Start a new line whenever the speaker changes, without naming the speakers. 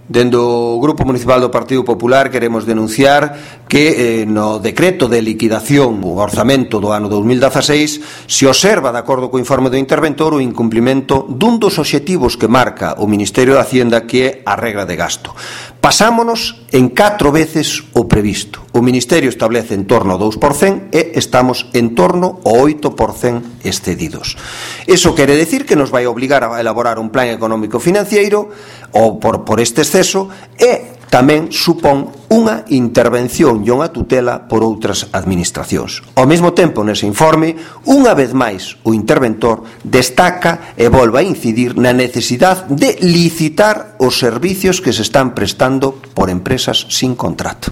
Dende o Grupo Municipal do Partido Popular queremos denunciar que no decreto de liquidación o orzamento do ano 2016 se observa, de acordo co informe do interventor, o incumprimento dun dos obxectivos que marca o Ministerio de Hacienda, que é a regra de gasto. Pasámonos en 4 veces o previsto. O Ministerio establece en torno ao 2% e estamos en torno ao 8% excedidos. Iso quere decir que nos vai obligar a elaborar un plan económico financiero ou por este exceso, e tamén supón unha intervención e unha tutela por outras administracións. Ao mesmo tempo, nese informe, unha vez máis o interventor destaca e volve a incidir na necesidade de licitar os servicios que se están prestando por empresas sin contrato.